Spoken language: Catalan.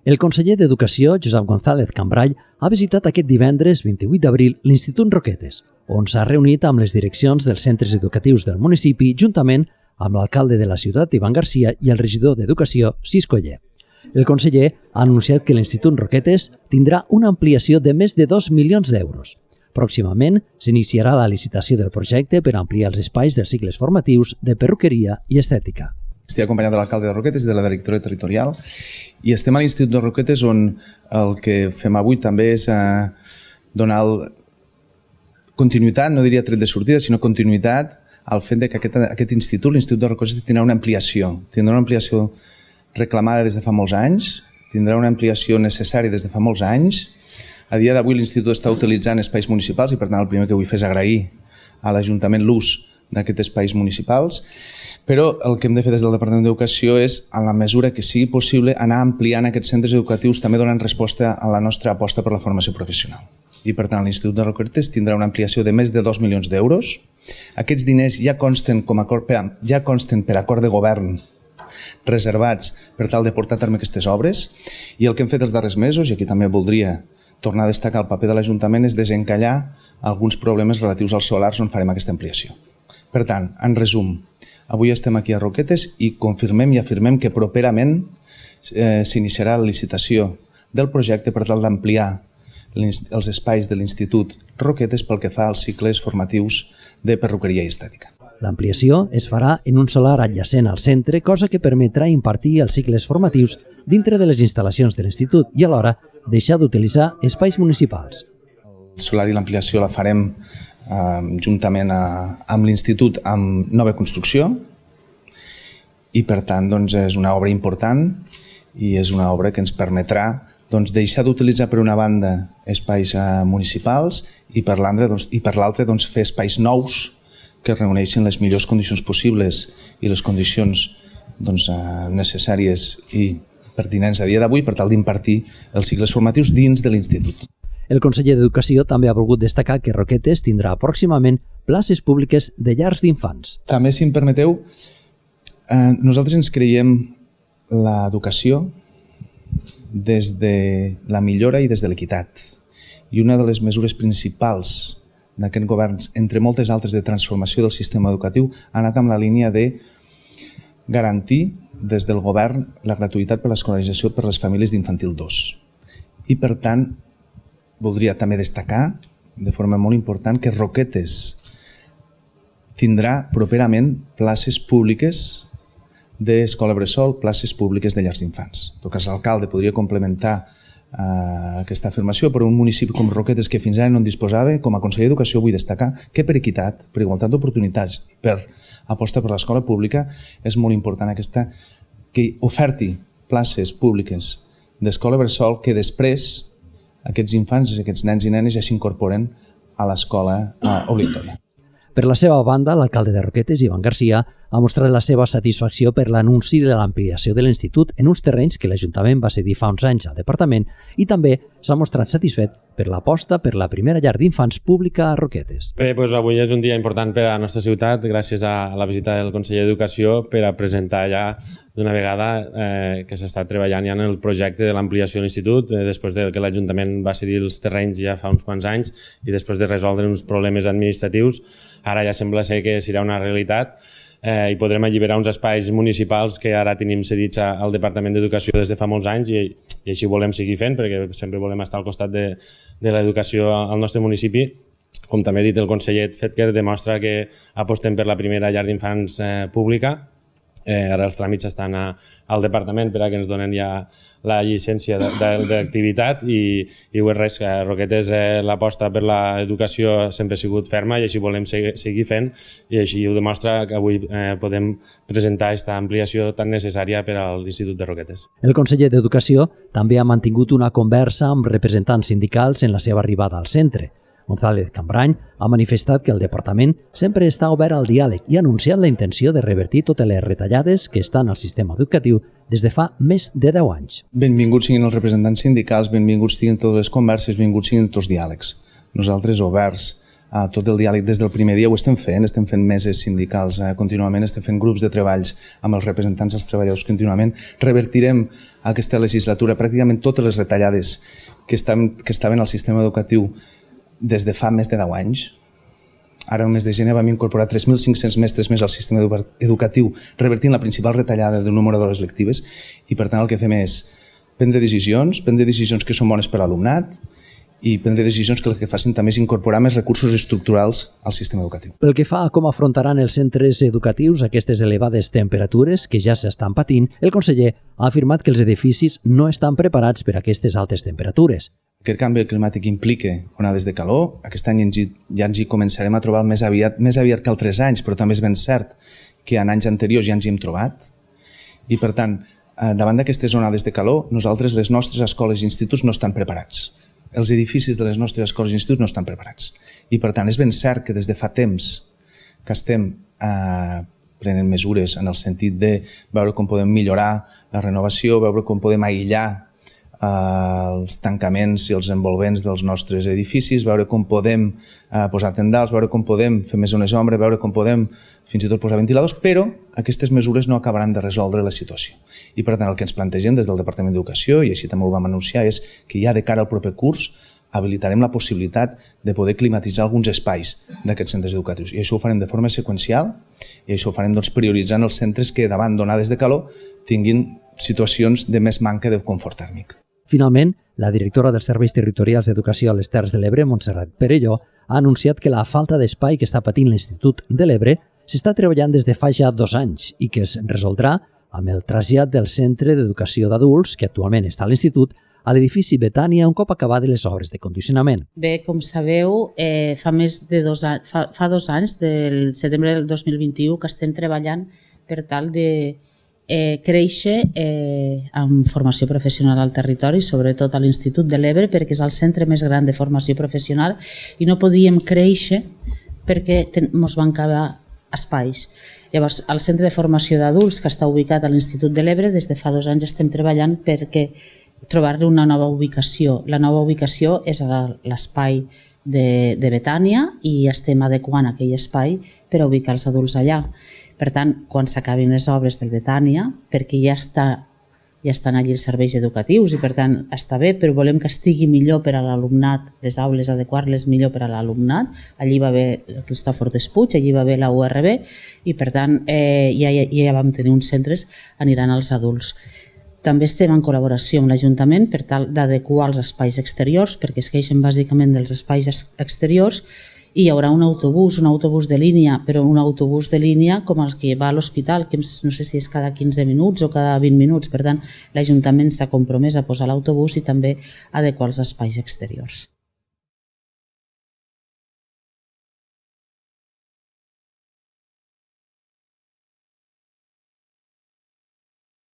El conseller d'Educació, Josep González Cambray, ha visitat aquest divendres 28 d'abril l'Institut Roquetes, on s'ha reunit amb les direccions dels centres educatius del municipi juntament amb l'alcalde de la ciutat, Ivan Garcia, i el regidor d'Educació, Cisco Oller. El conseller ha anunciat que l'Institut Roquetes tindrà una ampliació de més de 2 milions d'euros. Pròximament s'iniciarà la licitació del projecte per ampliar els espais dels cicles formatius de perruqueria i estètica. Estic acompanyat de l'alcalde de Roquetes i de la directora territorial i estem a l'Institut de Roquetes on el que fem avui també és donar continuïtat, no diria tret de sortida, sinó continuïtat al fet que aquest institut, l'Institut de Roquetes, tindrà una ampliació. Tindrà una ampliació reclamada des de fa molts anys, tindrà una ampliació necessària des de fa molts anys. A dia d'avui l'Institut està utilitzant espais municipals i per tant el primer que vull fer és agrair a l'Ajuntament l'ús d'aquests espais municipals, però el que hem de fer des del Departament d'Educació és, en la mesura que sigui possible, anar ampliant aquests centres educatius també donant resposta a la nostra aposta per la formació professional. I per tant l'Institut de Roquetes tindrà una ampliació de més de 2 milions d'euros. Aquests diners ja consten per acord de govern reservats per tal de portar a terme aquestes obres i el que hem fet els darrers mesos, i aquí també voldria tornar a destacar el paper de l'Ajuntament, és desencallar alguns problemes relatius als solars on farem aquesta ampliació. Per tant, en resum, avui estem aquí a Roquetes i confirmem i afirmem que properament s'iniciarà la licitació del projecte per tal d'ampliar els espais de l'Institut Roquetes pel que fa als cicles formatius de perruqueria i estètica. L'ampliació es farà en un solar adjacent al centre, cosa que permetrà impartir els cicles formatius dintre de les instal·lacions de l'Institut i alhora deixar d'utilitzar espais municipals. El solar i l'ampliació la farem juntament amb l'Institut amb nova construcció i per tant és una obra important i és una obra que ens permetrà deixar d'utilitzar per una banda espais municipals i per l'altra fer espais nous que reuneixin les millors condicions possibles i les condicions necessàries i pertinents a dia d'avui per tal d'impartir els cicles formatius dins de l'Institut. El conseller d'Educació també ha volgut destacar que Roquetes tindrà pròximament places públiques de llars d'infants. També, si em permeteu, nosaltres ens creiem l'educació des de la millora i des de l'equitat. I una de les mesures principals d'aquest govern, entre moltes altres de transformació del sistema educatiu, ha anat amb la línia de garantir des del govern la gratuïtat per l'escolarització per les famílies d'infantil 2. I per tant, voldria també destacar de forma molt important que Roquetes tindrà properament places públiques d'escola bressol, places públiques de llars d'infants. En tot cas, l'alcalde podria complementar aquesta afirmació, però un municipi com Roquetes que fins ara no en disposava, com a conseller d'Educació vull destacar que per equitat, per igualtat d'oportunitats, per aposta per l'escola pública, és molt important que oferti places públiques d'escola bressol que després aquests infants, aquests nens i nenes ja s'incorporen a l'escola obligatòria. Per la seva banda, l'alcalde de Roquetes, Ivan Garcia, ha mostrat la seva satisfacció per l'anunci de l'ampliació de l'Institut en uns terrenys que l'Ajuntament va cedir fa uns anys al Departament i també s'ha mostrat satisfet per l'aposta per la primera llar d'infants pública a Roquetes. Bé, avui és un dia important per a la nostra ciutat gràcies a la visita del conseller d'Educació per a presentar ja d'una vegada que s'està treballant ja en el projecte de l'ampliació de l'Institut després que l'Ajuntament va cedir els terrenys ja fa uns quants anys i després de resoldre uns problemes administratius. Ara ja sembla ser que serà una realitat i podrem alliberar uns espais municipals que ara tenim cedits al Departament d'Educació des de fa molts anys i així volem seguir fent perquè sempre volem estar al costat de l'educació al nostre municipi. Com també ha dit el conseller Fetker, demostra que apostem per la primera llar d'infants pública. Ara els tràmits estan al Departament per a que ens donen ja la llicència d'activitat i res, Roquetes l'aposta per l'educació sempre ha sigut ferma i així volem seguir fent i així ho demostra que avui podem presentar aquesta ampliació tan necessària per a l'Institut de Roquetes. El conseller d'Educació també ha mantingut una conversa amb representants sindicals en la seva arribada al centre. González Cambray ha manifestat que el departament sempre està obert al diàleg i ha anunciat la intenció de revertir totes les retallades que estan al sistema educatiu des de fa més de 10 anys. Benvinguts siguin els representants sindicals, benvinguts siguin totes les converses, benvinguts siguin tots els diàlegs. Nosaltres oberts tot el diàleg des del primer dia ho estem fent meses sindicals contínuament, estem fent grups de treballs amb els representants dels treballadors contínuament. Revertirem aquesta legislatura pràcticament totes les retallades que estaven al sistema educatiu des de fa més de 10 anys. Ara, al mes de gener, vam incorporar 3.500 mestres més al sistema educatiu, revertint la principal retallada del número d'hores lectives, i per tant el que fem és prendre decisions que són bones per a l'alumnat, i prendre decisions que el que facin també és incorporar més recursos estructurals al sistema educatiu. Pel que fa a com afrontaran els centres educatius aquestes elevades temperatures que ja s'estan patint, el conseller ha afirmat que els edificis no estan preparats per a aquestes altes temperatures. Aquest canvi climàtic implica onades de calor. Aquest any ja ens hi començarem a trobar més aviat que altres anys, però també és ben cert que en anys anteriors ja ens hi hem trobat. I per tant, davant d'aquestes onades de calor, nosaltres, les nostres escoles i instituts no estan preparats. Els edificis de les nostres escoles i instituts no estan preparats. I per tant és ben cert que des de fa temps que estem prenent mesures en el sentit de veure com podem millorar la renovació, veure com podem aïllar els tancaments i els envolvents dels nostres edificis, veure com podem posar tendals, veure com podem fer més zones d'ombra, veure com podem fins i tot posar ventiladors, però aquestes mesures no acabaran de resoldre la situació. I per tant el que ens plantegem des del Departament d'Educació, i així també ho vam anunciar, és que ja de cara al proper curs habilitarem la possibilitat de poder climatitzar alguns espais d'aquests centres educatius. I això ho farem de forma seqüencial, i això ho farem prioritzant els centres que davant d'onades de calor tinguin situacions de més manca de confort tèrmic. Finalment, la directora dels Serveis Territorials d'Educació a les Terres de l'Ebre, Montserrat Perelló, ha anunciat que la falta d'espai que està patint l'Institut de l'Ebre s'està treballant des de fa ja 2 anys i que es resoldrà amb el trasllat del Centre d'Educació d'Adults, que actualment està a l'Institut, a l'edifici Betània un cop acabades les obres de condicionament. Bé, com sabeu, fa 2 anys, del setembre del 2021, que estem treballant per tal de créixer en formació professional al territori, sobretot a l'Institut de l'Ebre, perquè és el centre més gran de formació professional i no podíem créixer perquè ens van acabar espais. Llavors, el centre de formació d'adults, que està ubicat a l'Institut de l'Ebre, des de fa 2 anys estem treballant perquè trobar-li una nova ubicació. La nova ubicació és l'espai de Betània i estem adequant aquell espai per a ubicar els adults allà. Per tant, quan s'acabin les obres del Betània, perquè ja estan allí els serveis educatius i per tant està bé, però volem que estigui millor per a l'alumnat, les aules adequar-les millor per a l'alumnat. Allí va haver el Cristòfor Despuig, allí va haver la URB i per tant ja vam tenir uns centres, aniran als adults. També estem en col·laboració amb l'Ajuntament per tal d'adequar els espais exteriors, perquè es queixen bàsicament dels espais exteriors, i hi haurà un autobús de línia, però un autobús de línia com el que va a l'hospital, que no sé si és cada 15 minuts o cada 20 minuts. Per tant, l'Ajuntament s'ha compromès a posar l'autobús i també adequar els espais exteriors.